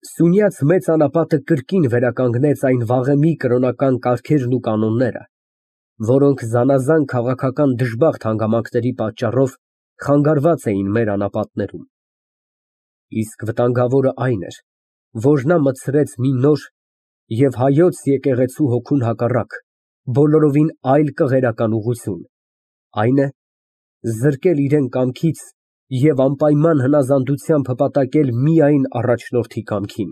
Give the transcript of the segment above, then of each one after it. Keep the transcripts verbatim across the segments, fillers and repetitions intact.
Սյունյաց մեծ անապատը կրկին վերականգնեց այն վաղեմի կրոնական կարգերն ու կանոնները, որոնք զանազան քաղաքական դժբախտ հանգամանքների պատճառով խանգարված էին մեր անապատներում, իսկ վտանգավորը այն էր, որ նա մտցրեց մի նոր և հայոց եկեղեցու հոգուն հակառակ բոլորովին այլ կղերական ուղղություն, այն է, զրկել իրան կամքից և անպայման հնազանդությամբ հպատակել միայն առաջնորդի կամքին։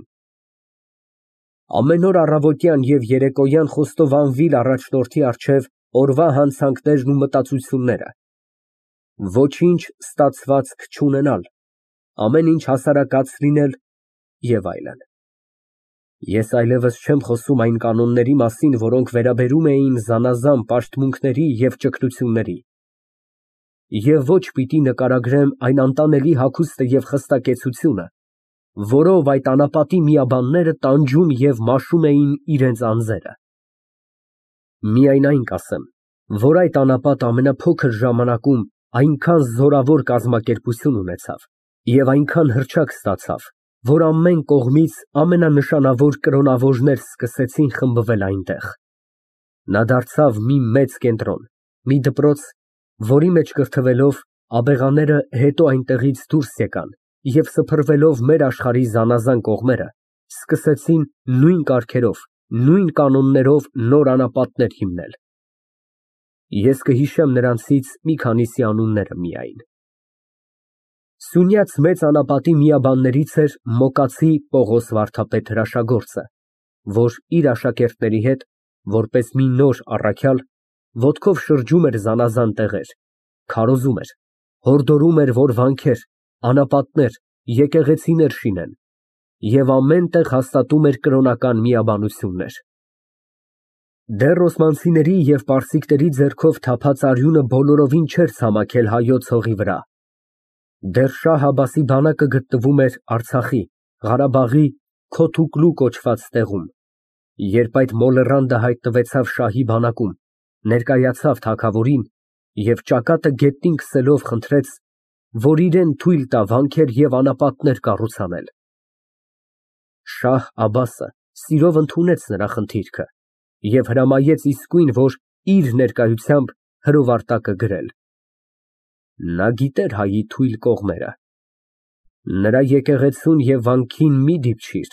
Ամեն օր առավոտյան և երեկոյան խոստովանվիլ առաջնորդի առջև օրվա հանցանքներն ու մտածությունները, ոչինչ ստացվածք չունենալ, ամեն ինչ հասարակած լինել և այլն։ Ես այլևս չեմ խոսում այն կանոնների մասին, որոնք վերաբերում էին զանազան պաշտմունքների և ճգնությունների, և ոչ պիտի նկարագրեմ այն անտանելի հագուստը և խստակեցությունը, որով այդ անապատի միաբանները տանջում և մաշում էին իրենց անձերը։ Միայն այն կասեմ, որ այդ անապատը ամենափոքր ժամանակում այնքան զորավոր կազմակերպություն ունեցավ և այնքան հռչակ ստացավ, որ ամեն կողմից ամենանշանավոր կրոնավորներ սկսեցին խմբվել այնտեղ։ Նա դարձավ մի մեծ կենտրոն, մի դպրոց, որի մեջ կրթվելով, աբեղաները հետո այնտեղից դուրս եկան և սփռվելով մեր աշխարհի զանազան կողմերը, սկսեցին նույն կարգերով, նույն կանոններով նոր անապատներ հիմնել։ Ես կհիշեմ նրանցից մի քանիսի անունները միայն։ Սյունյաց մեծ անապատի միաբաններից էր Մոկացի Պողոս վարդապետ հրաշագործը, որ իր աշակերտների հետ, որպես մի նոր առաքյալ, ոտքով շրջում էր զանազան տեղեր, քարոզում էր, հորդորում էր, որ վանքեր, անապատներ, եկեղեցիներ շինեն և ամեն տեղ հաստատում էր կրոնական միաբանություններ։ Դեռ օսմանցիների և պարսիկների ձեռքով թափած արյունը բոլորովին չէր ցամաքել հայոց հողի վրա, դեռ Շահ Աբբասի բանակը գտնվում էր Արցախի, Ղարաբաղի Քոթուկլու կոչված տեղում, երբ այդ մոլեռանդը հայտնվեցավ շահի բանակում, ներկայացավ թագավորին և ճակատը գետնին քսելով խնդրեց, որ իրան թույլ տա վանքեր և անապատներ կառուցանել։ Շահ Աբբասը սիրով ընդունեց նրա խնդիրքը և հրամայեց իսկույն, որ իր ներկայությամբ հրովարտակը գրել։ Նա գիտեր հայի թույլ կողմերը։ Նրա եկեղեցուն և վանքին մի դիպչիր,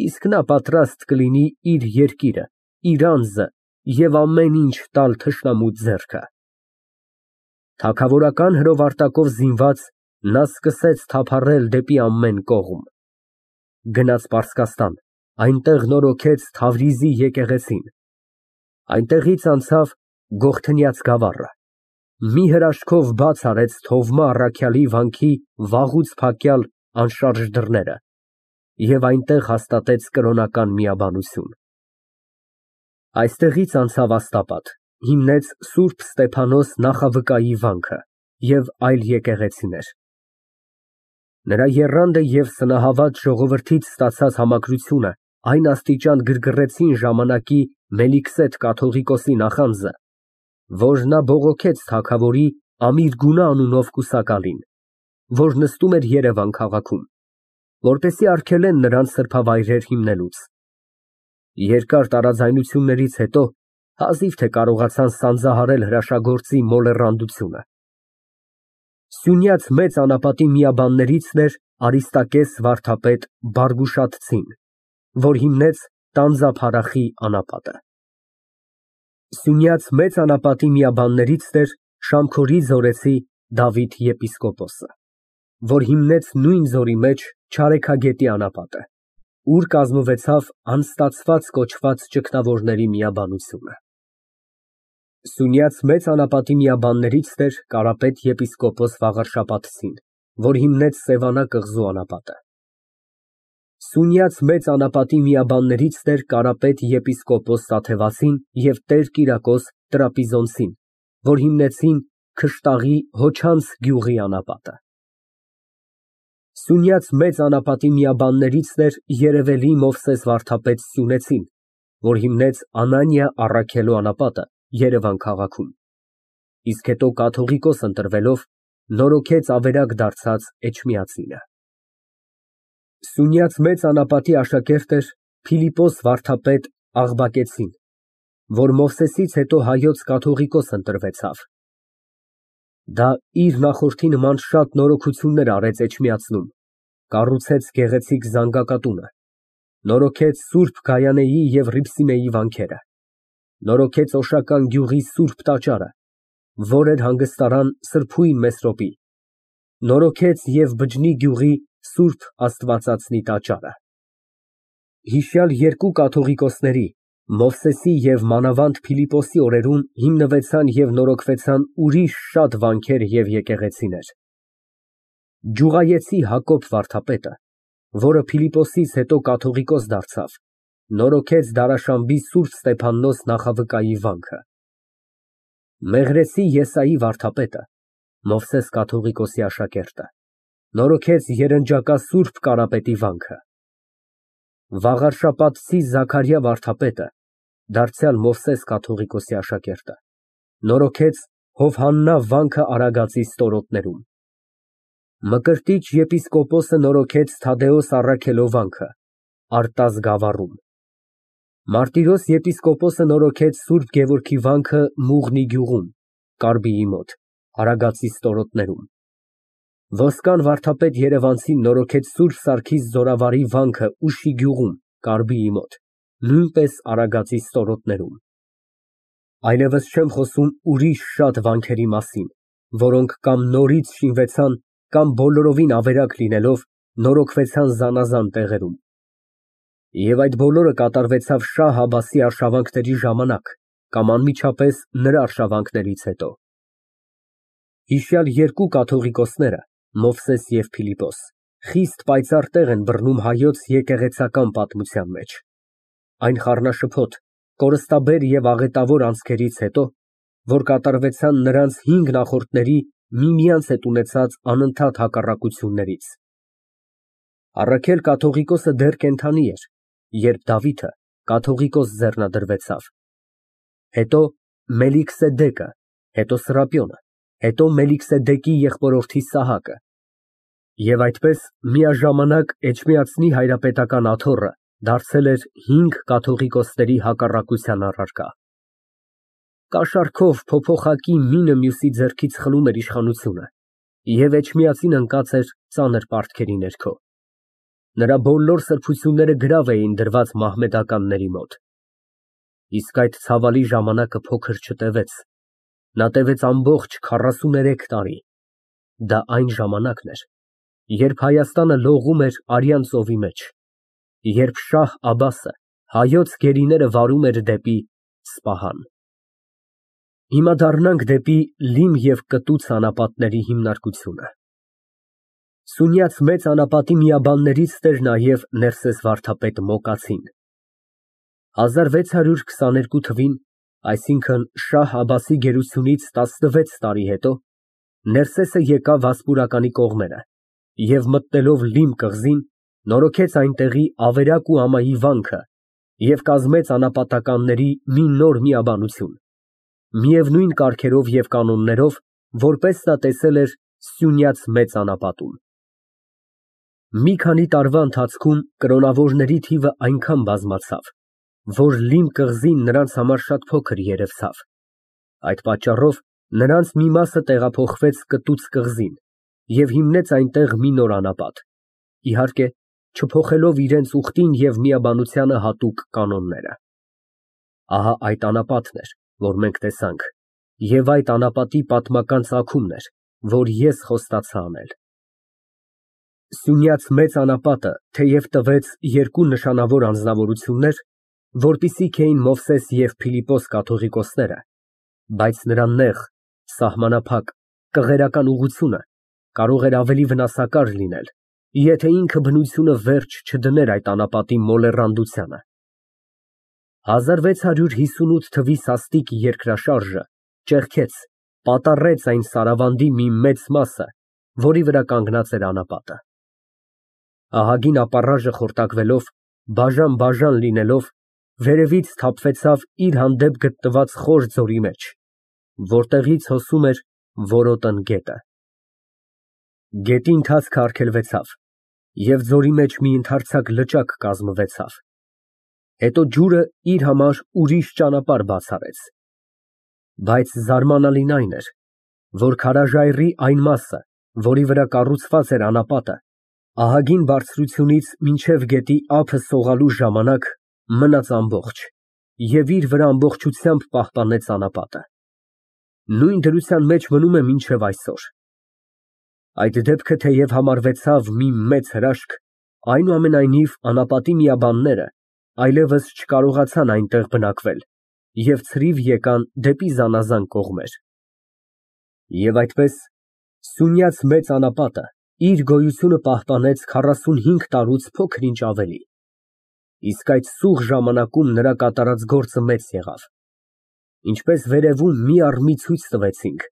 իսկ նա պատրաստ կլինի իր երկիրը, իր անձը և ամեն ինչ տալ թշնամու ձեռքը։ Թագավորական հրովարտակով զինված նա սկսեց թափառել դեպի ամեն կողմ։ Գնաց Պարսկաստան, այնտեղ նորոգեց Թավրիզի եկեղեցին, այնտեղից անցավ Գողթնյաց գավառը, մի հրաշքով բաց արեց Թովմա առաքյալի վանքի վաղուց փակյալ անշարժ դռները և այնտեղ հաստատեց կրոնական միաբանություն։ Այստեղից անցավ Աստապատ, հիմնեց Սուրբ Ստեփանոս նախավկայի վանքը և այլ եկեղեցիներ։ Նրա եռանդը և սնահավատ ժողովրդից ստացած համակրությունը այն աստիճան գրգռեցին ժամանակի Մելիքսեթ կաթողիկոսի նախանձը, որ նա բողոքեց թագավորի Ամիրգունը անունով կուսակալին, որ նստում էր Երևան քաղաքում, որպեսզի արգելեն նրան սրբավայրեր հիմնելուց։ Երկար տարաձայնություններից հետո հազիվ թե կարողացան սանձահարել հրաշագործի մոլեռանդությունը։ Սյունյաց մեծ անապատի միաբաններից էր Արիստակես վարդապետ Բարգուշատցին, որ հիմնեց Տանձափարախի անապատը։ Սյունյաց մեծ անապատի միաբաններից էր Շամքորի ձորեցի Դավիթ եպիսկոպոսը, որ հիմնեց նույն ձորի մեջ Չարեքագետի անապատը, ուր կազմվեցավ անստացված կոչված ճգնավորների միաբանությունը։ Սյունյաց մեծ անապատի միաբաններից էր Կարապետ եպիսկոպոս Վաղարշապատցին, որ հիմնեց Սևանա կղզու անապատը։ Սյունյաց մեծ անապատի միաբաններից էր Կարապետ եպիսկոպոս Տաթևացին և Տեր Կիրակոս Տրապիզոնցին, որ հիմնեցին Քշտաղի Հոչանց գյուղի անապատը։ Սյունյաց մեծ անապատի միաբաններից էր Երևելի Մովսես վարդապետ Սյունեցին, որ հիմնեց Անանիա Առաքելու անապատը Երևան քաղաքում, իսկ հետո կաթողիկոս ընտրվելով նորոգեց ավերակ դարձած Էջմիածինը։ Սյունյաց մեծ անապատի աշակերտ էր Փիլիպոս վարդապետ Աղբակեցին, որ Մովսեսից հետո հայոց կաթողիկոս ընտրվեցավ։ Դա իր նախորդի նման շատ նորոգություններ արեց Էջմիածնում, կառուցեց գեղեցիկ զանգակատունը, նորոգեց Սուրբ Գայանեի և Հռիփսիմեի վանքերը, նորոգեց Օշական գյուղի Սուրբ տաճարը, որ էր հանգստարան Սրբույն Մեսրոպի, նորոգեց և Բջնի գյուղի Սուրբ Աստվածածնի տաճարը։ Հիշյալ երկու կաթողիկոսների՝ Մովսեսի և մանավանդ Փիլիպոսի օրերում հիմնվեցան և նորոգվեցան ուրիշ շատ վանքեր և եկեղեցիներ։ Ջուղայեցի Հակոբ վարդապետը, որը Փիլիպոսից հետո կաթողիկոս դարձավ, նորոգեց Դարաշամբի Սուրբ Ստեփաննոս նախավկայի վանքը։ Մեղրեցի Եսայի վարդապետը, Մովսես կաթողիկոսի աշակերտը, նորոգեց Երնջակա Սուրբ Կարապետի վանքը։ Վաղարշապատցի Զաքարյա վարդապետը, դարձյալ Մովսես կաթողիկոսի աշակերտը, նորոգեց Հովհաննա վանքը Արագածի ստորոտներում։ Մկրտիչ եպիսկոպոսը նորոգեց Թադեոս Առաքելո վանքը Արտազ գավառում։ Մարտիրոս եպիսկոպոսը նորոգեց Սուրբ Գևորգի վանքը Մուղնի գյուղում, Կարբիի մոտ, Արագածի ստորոտներում։ Ոսկան վարդապետ Երևանցին նորոգեց Սուրբ Սարգիս Զորավարի վանքը Ուշի գյուղում, Կարբիի մոտ, նույնպես Արագածի ստորոտներում։ Այլևս չեմ խոսում ուրիշ շատ վանքերի մասին, որոնք կամ նորից շինվեցան, կամ բոլորովին ավերակ լինելով, նորոգվեցան զանազան տեղերում։ Եվ այդ բոլորը կատարվեցավ Շահ Աբբասի արշավանքների ժամանակ կամ անմիջապես նրա արշավանքներից հետո։ Հիշյալ երկու կաթողիկոսները՝ Մովսես և Փիլիպոս, խիստ պայծառ տեղ են բռնում հայոց եկեղեցական պատմության մեջ։ Այն խառնաշփոթ, կորստաբեր և աղետավոր անցքերից հետո, որ կատարվեցան նրանց հինգ նախորդների միմյանց հետ ունեցած անընդհատ հակառակություններից։ Առաքել կաթողիկոսը դեռ կենդանի էր, երբ Դավիթը կաթողիկոս ձեռնադրվեցավ, հետո Մելքիսեդեկը, հետո Սրափիոնը, հետո Մելքիսեդեկի եղբորորդի Սահակը, և այդպես միաժամանակ Էջմիածնի հայրապետական աթոռը դարձել էր հինգ կաթողիկոսների հակառակության առարկա։ Կաշառքով փոփոխակի մինը մյուսի ձեռքից խլում էր իշխանությունը, և Էջմիածին ընկած էր ծանր պարտքերի ներքո։ Նրա բոլոր սրբությունները գրավ էին դրված մահմեդականների մոտ։ Իսկ այդ ցավալի ժամանակը փոքր չտևեց, նա տևեց ամբողջ քառասուներեք տարի։ Դա այն ժամանակն էր, երբ Հայաստանը լողում էր արյան ծովի մեջ, երբ Շահ Աբբասը հայոց գերիները վարում էր դեպի Սպահան։ Հիմա դառնանք դեպի լիմ և կտուցը անապատների հիմնարկությունը։ Սյունյաց մեծ անապատի միաբաններից էր նաև Ներսես վարդապետ Մոկացին։ հազար վեց հարյուր քսաներկու թվին, այսինքն Շահ Աբբասի գերությունից տասնվեց տարի հետո, Ներսեսը եկավ Վասպուրականի կողմերը և մտնելով Լիմ կղզին, նորոգեց այնտեղի Ավերակ ու ամայի վանքը և կազմեց անապատականների մի նոր միաբանություն, միևնույն կարգերով և կանոններով, որպես նա տեսել էր Սյունյաց մեծ անապատում։ Մի քանի տարվա ընթացքում կրոնավորների թիվը այնքան բազմացավ, որ Լիմ կղզին նրանց համար շատ փոքր երևցավ։ Այդ պատճառով նրանց մի մասը տեղափոխվեց Կտուց կղզին և հիմնեց այնտեղ մի նոր անապատ, իհարկե, չփոխելով իրենց ուխտին և միաբանությանը հատուկ կանոնները։ Ահա այդ անապատն էր, որ մենք տեսանք, և այդ անապատի պատմական ծագումն էր, որ ես խոստացա անել։ Սյունյաց մեծ անապատը թեև տվեց երկու նշանավոր անձնավորություններ, որպիսիք էին Մովսես և Փիլիպոս կաթողիկոսները, բայց նրա նեղ, սահմանափակ, կղերական ուղղությունը կարող էր ավելի վնասակար լինել, եթե ինքը բնությունը վերջ չդներ այդ անապատի մոլեռանդությանը։ հազար վեց հարյուր հիսունութ թվականի սաստիկ երկրաշարժը ճեղքեց, պատառեց այն Սարավանդի մի մեծ մասը, որի վրա կանգնած էր անապատը։ Ահագին ապառաժը խորտակվելով, բաժան֊բաժան լինելով, վերևից թափվեցավ իր հանդեպ գտնված խոր ձորի մեջ, որտեղից հոսում էր Որոտն գետը։ Գետի ընթացքը արգելվեցավ, Եվ ձորի մեջ մի ընդարձակ լճակ կազմվեցավ։ Հետո ջուրը իր համար ուրիշ ճանապարհ բաց արեց։ Բայց զարմանալին այն էր, որ քարաժայռի այն մասը, որի վրա կառուցված էր անապատը, ահագին բարձրությունից մինչև գետի ափը սողալու ժամանակ մնաց ամբողջ և իր վրա ամբողջությամբ պահպանեց անապատը։ Նույն դրության մեջ մնում է մինչև այսօր։ Այդ դեպքը թեև համարվեցավ մի մեծ հրաշք, այնուամենայնիվ անապատի միաբանները այլևս չկարողացան այնտեղ բնակվել և ցրիվ եկան դեպի զանազան կողմեր։ Եվ այդպես Սյունյաց մեծ անապատը իր գոյությունը պահպանեց քառասունհինգ տարուց փոքր-ինչ ավելի, իսկ այդ սուղ ժամանակում նրա կատարած գործը մեծ եղավ։ Ինչպես վերևում մի առ մի ցույց տվեցինք,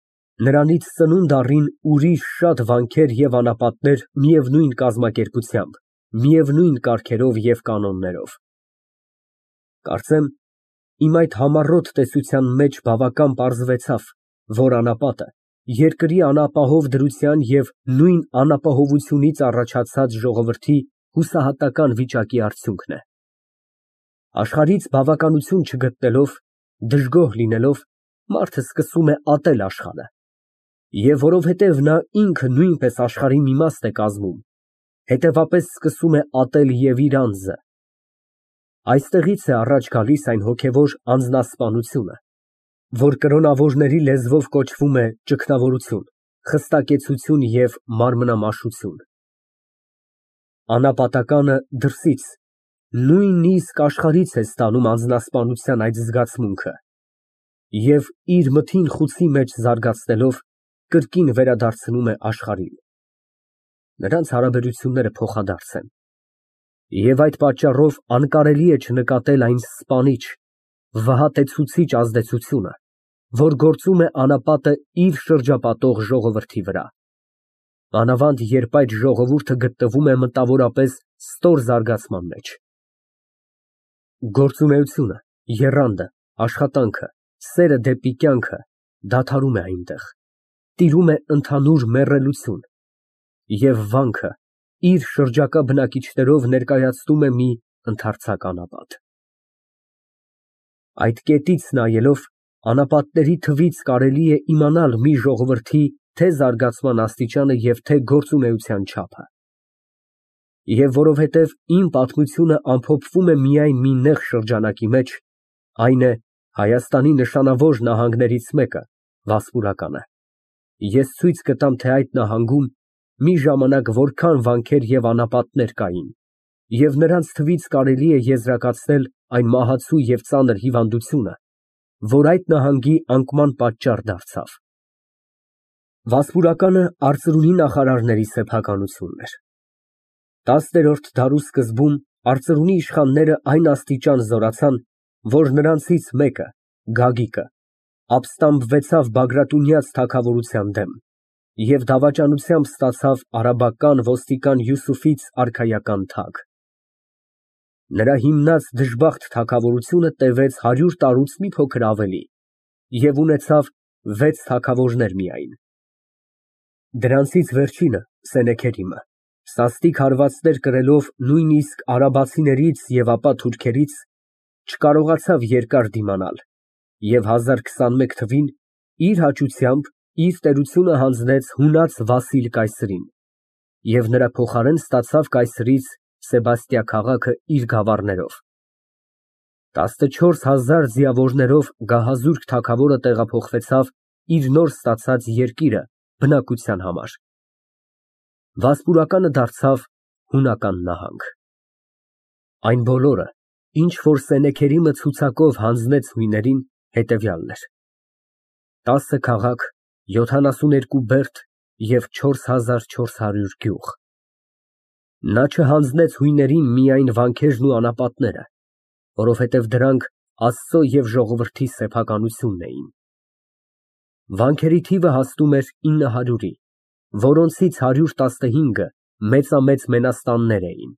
նրանից ծնունդ առին ուրիշ շատ վանքեր և անապատներ միևնույն կազմակերպությամբ, միևնույն կարգերով և կանոններով։ Կարծեմ, իմ այդ համառոտ տեսության մեջ բավական պարզվեցավ, որ անապատը երկրի անապահով դրության և նույն անապահովությունից առաջացած ժողովրդի հուսահատական վիճակի արդյունքն է։ Աշխարհից բավականություն չգտնելով, դժգոհ լինելով, մարդը սկսում է ատել աշխարհը, և որովհետև նա ինքը նույնպես աշխարհի մի մասն է կազմում, հետևապես սկսում է ատել և իր անձը։ Այստեղից է առաջ գալիս այն հոգևոր անձնասպանությունը, որ կրոնավորների լեզվով կոչվում է ճգնավորություն, խստակեցություն և մարմնամաշություն։ Անապատականը դրսից, նույնիսկ աշխարհից է ստանում անձնասպանության այդ զգացմունքը և իր մթին խուցի մեջ զարգացնելով, կրկին վերադարձնում է աշխարհին։ Նրանց հարաբերությունները փոխադարձ են, և այդ պատճառով անկարելի է չնկատել այն սպանիչ, վհատեցուցիչ ազդեցությունը, որ գործում է անապատը իր շրջապատող ժողովրդի վրա, մանավանդ երբ այդ ժողովուրդը գտնվում է մտավորապես ստոր զարգացման մեջ։ Գործունեությունը, եռանդը, աշխատանքը, սերը դեպի կյանքը դադարում է այնտեղ, տիրում է ընդհանուր մեռելություն, և վանքը իր շրջակա բնակիչներով ներկայացնում է մի ընդարձակ անապատ։ Այդ կետից նայելով, անապատների թվից կարելի է իմանալ մի ժողովրդի թե զարգացման աստիճանը և թե գործունեության չափը։ Եվ որովհետև իմ պատմությունը ամփոփվում է միայն մի նեղ շրջանակի մեջ, այն է Հայաստանի նշանավոր նահանգներից մեկը, Վասպուրականը, ես ցույց կտամ, թե այդ նահանգում մի ժամանակ որքան վանքեր և անապատներ կային, և նրանց թվից կարելի է եզրակացնել այն մահացու և ծանր հիվանդությունը, որ այդ նահանգի անկման պատճառ դարձավ։ Վասպուրականը արծրունի նախարարների սեփականությունն էր։ Տասներորդ դարու սկզբում արծրունի իշխանները այն աստիճան զորացան, որ նրանցից մեկը՝ Գագիկը, ապստամբվեցավ Բագրատունյաց թագավորության դեմ և դավաճանությամբ ստացավ արաբական ոստիկան Յուսուֆից արքայական թագ։ Նրա հիմնած դժբախտ թագավորությունը տևեց հարյուր տարուց մի փոքր ավելի և ունեցավ վեց թագավորներ միայն։ Դրանցից վերջինը՝ Սենեքերիմը, սաստիկ հարվածներ կրելով նույնիսկ արաբացիներից և ապա թուրքերից, չկարողացավ երկար դիմանալ և հազար քսանմեկ թվին իր հաճությամբ իր տերությունը հանձնեց հունած Վասիլ կայսրին և նրա փոխարեն ստացավ կայսրից Սեբաստիա քաղաքը իր գավառներով։ Տասնչորս հազար ձիավորներով գահազուրկ թագավորը տեղափոխվեցավ իր նոր ստացած երկիրը բնակության համար։ Վասպուրականը դարձավ հունական նահանգ։ Այն բոլորը, ինչ որ Սենեքերիմը ցուցակով հանձնեց հույներին, հետևյալն էր. տասը քաղաք, յոթանասուներկու բերդ և չորս հազար չորս հարյուր գյուղ։ Նա չհանձնեց հույներին միայն վանքերն ու անապատները, որովհետև դրանք Աստծո և ժողովրդի սեփականությունն էին։ Վանքերի թիվը հասնում էր ինը հարյուրի, որոնցից հարյուր տասնհինգը մեծամեծ մենաստաններ էին։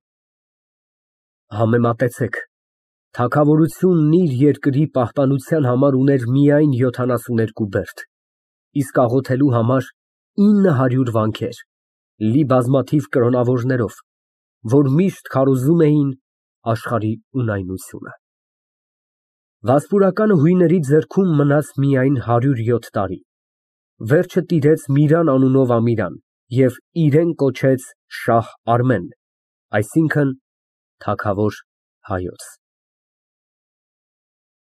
Համեմատեցեք, թագավորությունն իր երկրի պահպանության համար ուներ միայն յոթանասուներկու բերդ, իսկ աղոթելու համար ինը հարյուր վանքեր, լի բազմաթիվ կրոնավորներով, որ միշտ քարոզում էին աշխարհի ունայնությունը։ Վասպուրականը հույների ձեռքում մնաց միայն հարյուր յոթ տարի, վերջը տիրեց Միրան անունով ամիրան և իրեն կոչեց Շահ Արմեն, այսինքն՝ թագավոր հայոց։